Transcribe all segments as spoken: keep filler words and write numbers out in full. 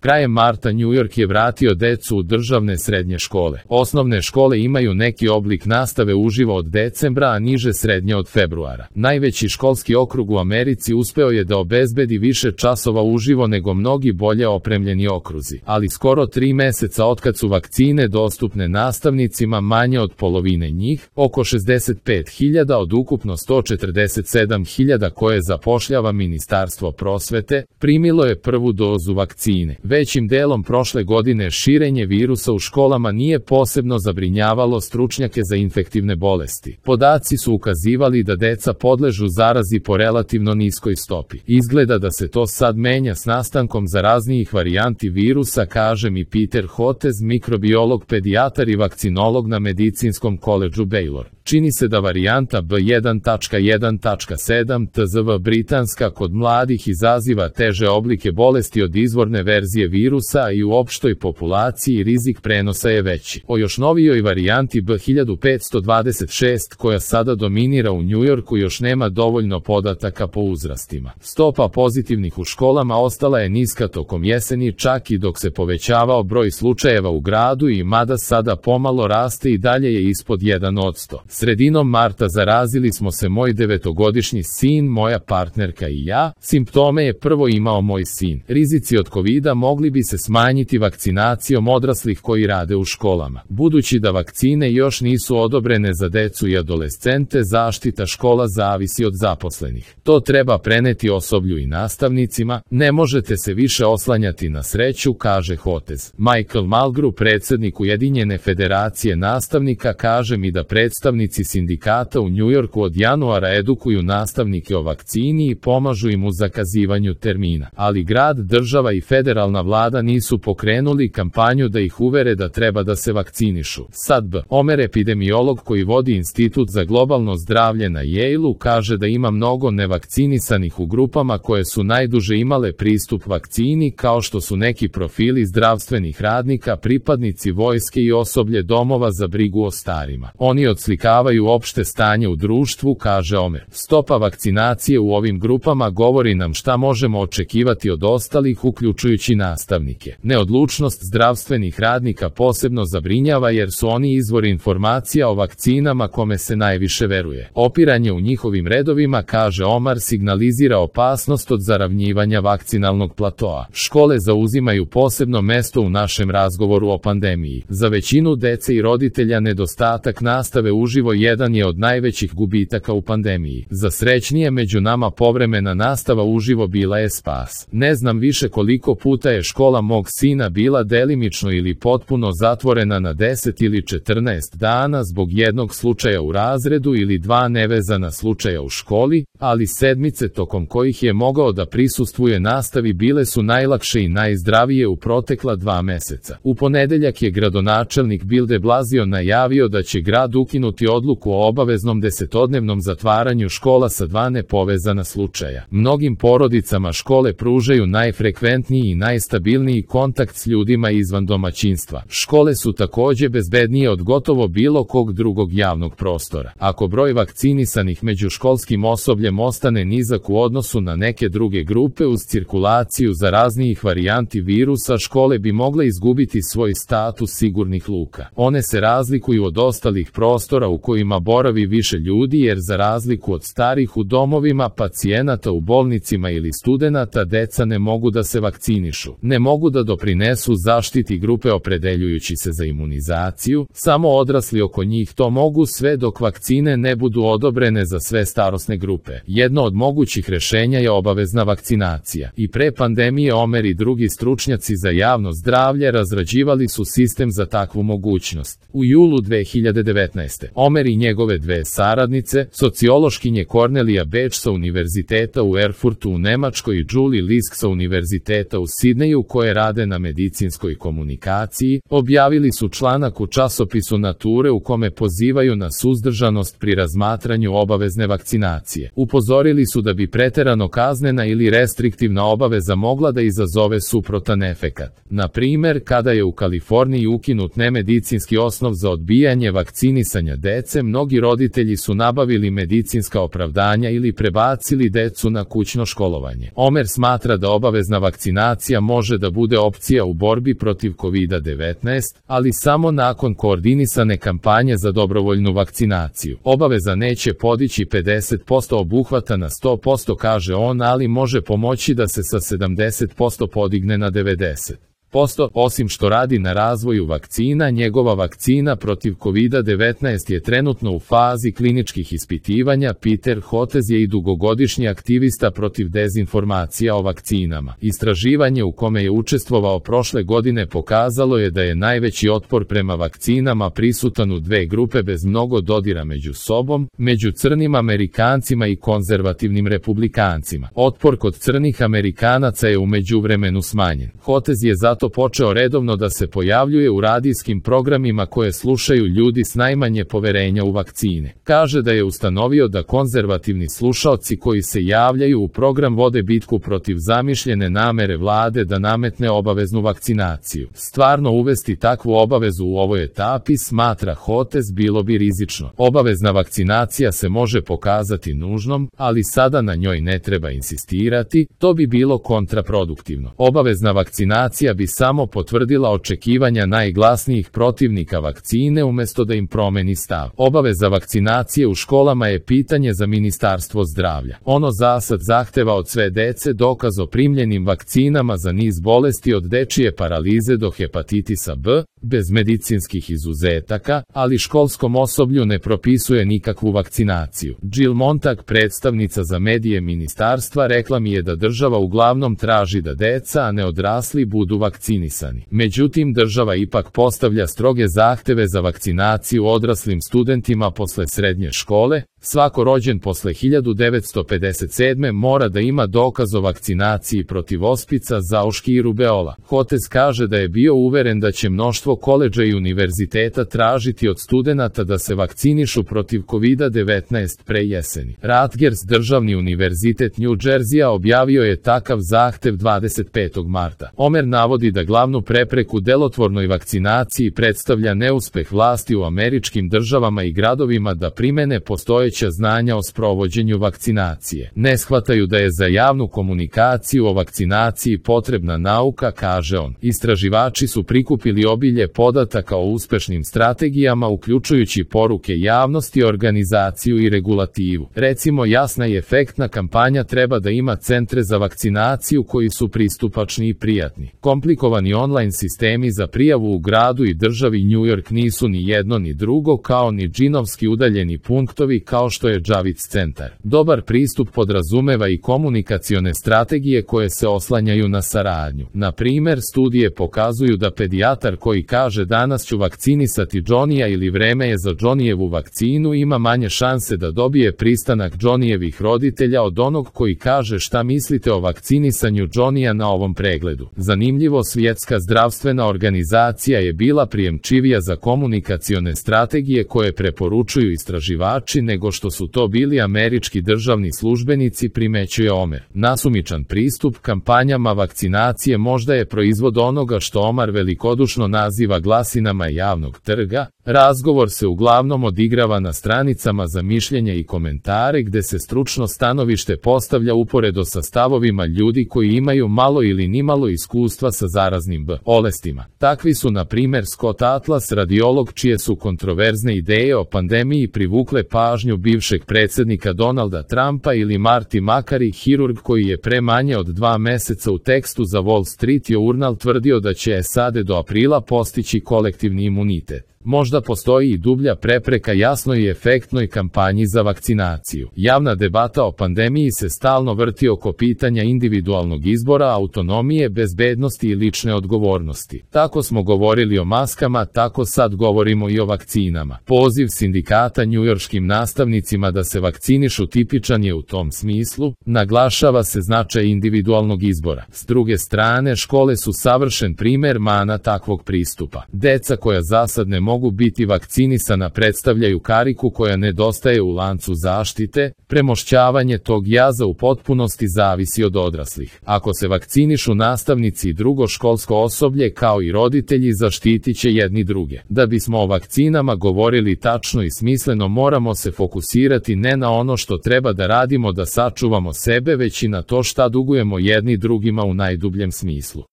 Krajem marta New York je vratio decu u državne srednje škole. Osnovne škole imaju neki oblik nastave uživo od decembra, a niže srednje od februara. Najveći školski okrug u Americi uspeo je da obezbedi više časova uživo nego mnogi bolje opremljeni okruzi, ali skoro tri meseca otkad su vakcine dostupne nastavnicima, manje od polovine njih, oko šezdeset pet hiljada od ukupno sto četrdeset sedam hiljada koje zapošljava Ministarstvo prosvete, primilo je prvu dozu vakcine. Većim delom prošle godine širenje virusa u školama nije posebno zabrinjavalo stručnjake za infektivne bolesti. Podaci su ukazivali da deca podležu zarazi po relativno niskoj stopi. Izgleda da se to sad menja s nastankom zaraznijih varijanti virusa, kaže mi Peter Hotez, mikrobiolog, pedijatar i vakcinolog na Medicinskom koledžu Baylor. Čini se da varijanta B jedan tačka jedan tačka sedam T Z V britanska kod mladih izaziva teže oblike bolesti od izvorne verzije virusa i u opštoj populaciji rizik prenosa je veći. O još novijoj varijanti B hiljadu petsto dvadeset šest koja sada dominira u New Yorku još nema dovoljno podataka po uzrastima. Stopa pozitivnih u školama ostala je niska tokom jeseni, čak i dok se povećavao broj slučajeva u gradu, i mada sada pomalo raste i dalje je ispod jedan posto. Sredinom marta zarazili smo se moj devetogodišnji sin, moja partnerka i ja. Simptome je prvo imao moj sin. Rizici od kovida mogli bi se smanjiti vakcinacijom odraslih koji rade u školama. Budući da vakcine još nisu odobrene za decu i adolescente, zaštita škola zavisi od zaposlenih. To treba preneti osoblju i nastavnicima. Ne možete se više oslanjati na sreću, kaže Hotez. Michael Mulgrew, predsednik Ujedinjene federacije nastavnika, kaže mi da predstavnici sindikata u New Yorku od januara edukuju nastavnike o vakcini i pomažu im u zakazivanju termina. Ali grad, država i federalna vlada nisu pokrenuli kampanju da ih uvere da treba da se vakcinišu. Sad B. Omer, epidemiolog koji vodi Institut za globalno zdravlje na Yale-u, kaže da ima mnogo nevakcinisanih u grupama koje su najduže imale pristup vakcini, kao što su neki profili zdravstvenih radnika, pripadnici vojske i osoblje domova za brigu o starima. Oni odslikavaju opšte stanje u društvu, kaže Omer. Stopa vakcinacije u ovim grupama govori nam šta možemo očekivati od ostalih, uključujući nastavnike. Neodlučnost zdravstvenih radnika posebno zabrinjava jer su oni izvor informacija o vakcinama kome se najviše veruje. Opiranje u njihovim redovima, kaže Omar, signalizira opasnost od zaravnjivanja vakcinalnog platoa. Škole zauzimaju posebno mesto u našem razgovoru o pandemiji. Za većinu dece i roditelja nedostatak nastave uživo jedan je od najvećih gubitaka u pandemiji. Za srećnije među nama povremena nastava uživo bila je spas. Ne znam više koliko puta je škola mog sina bila delimično ili potpuno zatvorena na deset ili četrnaest dana zbog jednog slučaja u razredu ili dva nevezana slučaja u školi, ali sedmice tokom kojih je mogao da prisustvuje nastavi bile su najlakše i najzdravije u protekla dva meseca. U ponedeljak je gradonačelnik Bill de Blasio najavio da će grad ukinuti odluku o obaveznom desetodnevnom zatvaranju škola sa dva nepovezana slučaja. Mnogim porodicama škole pružaju najfrekventniji i najstabilniji kontakt s ljudima izvan domaćinstva. Škole su takođe bezbednije od gotovo bilo kog drugog javnog prostora. Ako broj vakcinisanih među školskim osobljem ostane nizak u odnosu na neke druge grupe uz cirkulaciju zaraznijih varijanti virusa, škole bi mogle izgubiti svoj status sigurnih luka. One se razlikuju od ostalih prostora u kojima boravi više ljudi jer za razliku od starih u domovima, pacijenata u bolnicima ili studenata, deca ne mogu da se vakcinišu. Ne mogu da doprinesu zaštiti grupe opredeljujući se za imunizaciju, samo odrasli oko njih to mogu sve dok vakcine ne budu odobrene za sve starosne grupe. Jedno od mogućih rešenja je obavezna vakcinacija. I pre pandemije Omer i drugi stručnjaci za javno zdravlje razrađivali su sistem za takvu mogućnost. U julu dve hiljade devetnaeste. Omer i njegove dve saradnice, sociološkinje Cornelia Beč sa Univerziteta u Erfurtu u Nemačkoj i Julie Lisk sa Univerziteta u Sidneju, koje rade na medicinskoj komunikaciji, objavili su članak u časopisu Nature u kome pozivaju na suzdržanost pri razmatranju obavezne vakcinacije. Upozorili su da bi preterano kaznena ili restriktivna obaveza mogla da izazove suprotan efekat. Na primer, kada je u Kaliforniji ukinut nemedicinski osnov za odbijanje vakcinisanja dece, dece, mnogi roditelji su nabavili medicinska opravdanja ili prebacili decu na kućno školovanje. Omer smatra da obavezna vakcinacija može da bude opcija u borbi protiv kovida devetnaest, ali samo nakon koordinisane kampanje za dobrovoljnu vakcinaciju. Obaveza neće podići pedeset posto obuhvata na sto posto, kaže on, ali može pomoći da se sa sedamdeset posto podigne na devedeset posto. Osim što radi na razvoju vakcina, njegova vakcina protiv kovida devetnaest je trenutno u fazi kliničkih ispitivanja. Peter Hotez je i dugogodišnji aktivista protiv dezinformacija o vakcinama. Istraživanje u kome je učestvovao prošle godine pokazalo je da je najveći otpor prema vakcinama prisutan u dve grupe bez mnogo dodira među sobom, među crnim Amerikancima i konzervativnim republikancima. Otpor kod crnih Amerikanaca je u međuvremenu smanjen. Hotez je zato počeo redovno da se pojavljuje u radijskim programima koje slušaju ljudi s najmanje poverenja u vakcine. Kaže da je ustanovio da konzervativni slušaoci koji se javljaju u program vode bitku protiv zamišljene namere vlade da nametne obaveznu vakcinaciju. Stvarno uvesti takvu obavezu u ovoj etapi, smatra Hotez, bilo bi rizično. Obavezna vakcinacija se može pokazati nužnom, ali sada na njoj ne treba insistirati, to bi bilo kontraproduktivno. Obavezna vakcinacija bi samo potvrdila očekivanja najglasnijih protivnika vakcine umjesto da im promeni stav. Obaveza vakcinacije u školama je pitanje za Ministarstvo zdravlja. Ono zasad zahteva od sve dece dokaz o primljenim vakcinama za niz bolesti od dečije paralize do hepatitisa B, bez medicinskih izuzetaka, ali školskom osoblju ne propisuje nikakvu vakcinaciju. Jill Montag, predstavnica za medije ministarstva, rekla mi je da država uglavnom traži da deca, a ne odrasli, budu vakcinisani. Međutim, država ipak postavlja stroge zahteve za vakcinaciju odraslim studentima posle srednje škole. Svako rođen posle hiljadu devetsto pedeset sedme mora da ima dokaz o vakcinaciji protiv ospica, zauški i rubeola. Hotez kaže da je bio uveren da će mnoštvo koledža i univerziteta tražiti od studenata da se vakcinišu protiv kovida devetnaest pre jeseni. Rutgers, državni univerzitet New Jersey-a, objavio je takav zahtev dvadeset petog marta. Omer navodi da glavnu prepreku delotvornoj vakcinaciji predstavlja neuspeh vlasti u američkim državama i gradovima da primene postojeće znanja o sprovođenju vakcinacije. Ne shvataju da je za javnu komunikaciju o vakcinaciji potrebna nauka, kaže on. Istraživači su prikupili obilje podataka o uspešnim strategijama, uključujući poruke javnosti, organizaciju i regulativu. Recimo, jasna i efektna kampanja treba da ima centre za vakcinaciju koji su pristupačni i prijatni. Komplikovani online sistemi za prijavu u gradu i državi New York nisu ni jedno ni drugo, kao ni džinovski udaljeni punktovi kao što je Javits centar. Dobar pristup podrazumeva i komunikacione strategije koje se oslanjaju na saradnju. Na primer, studije pokazuju da pedijatar koji kaže danas ću vakcinisati Johnnyja ili vreme je za Johnnyjevu vakcinu ima manje šanse da dobije pristanak Johnnyjevih roditelja od onog koji kaže šta mislite o vakcinisanju Johnnyja na ovom pregledu. Zanimljivo, Svjetska zdravstvena organizacija je bila prijemčivija za komunikacione strategije koje preporučuju istraživači nego što su to bili američki državni službenici, primećuje Omer. Nasumičan pristup kampanjama vakcinacije možda je proizvod onoga što Omar velikodušno naziva glasinama javnog trga. Razgovor se uglavnom odigrava na stranicama za mišljenje i komentare gde se stručno stanovište postavlja uporedo sa stavovima ljudi koji imaju malo ili nimalo iskustva sa zaraznim bolestima. Takvi su na primer Scott Atlas, radiolog čije su kontroverzne ideje o pandemiji privukle pažnju bivšeg predsjednika Donalda Trumpa, ili Marty Makary, hirurg koji je pre manje od dva meseca u tekstu za Wall Street Journal tvrdio da će S A D do aprila postići kolektivni imunitet. Možda postoji i dublja prepreka jasnoj i efektnoj kampanji za vakcinaciju. Javna debata o pandemiji se stalno vrti oko pitanja individualnog izbora, autonomije, bezbednosti i lične odgovornosti. Tako smo govorili o maskama, tako sad govorimo i o vakcinama. Poziv sindikata njujorškim nastavnicima da se vakcinišu tipičan je u tom smislu, naglašava se značaj individualnog izbora. S druge strane, škole su savršen primer mana takvog pristupa. Deca koja zasad ne mogu mogu biti vakcinisana predstavljaju kariku koja nedostaje u lancu zaštite, premošćavanje tog jaza u potpunosti zavisi od odraslih. Ako se vakcinišu nastavnici i drugo školsko osoblje kao i roditelji, zaštitit će jedni druge. Da bismo o vakcinama govorili tačno i smisleno, moramo se fokusirati ne na ono što treba da radimo da sačuvamo sebe, već i na to šta dugujemo jedni drugima u najdubljem smislu.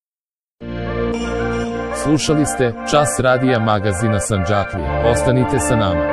Slušali ste Čas radija magazina Sandžaklija. Ostanite sa nama.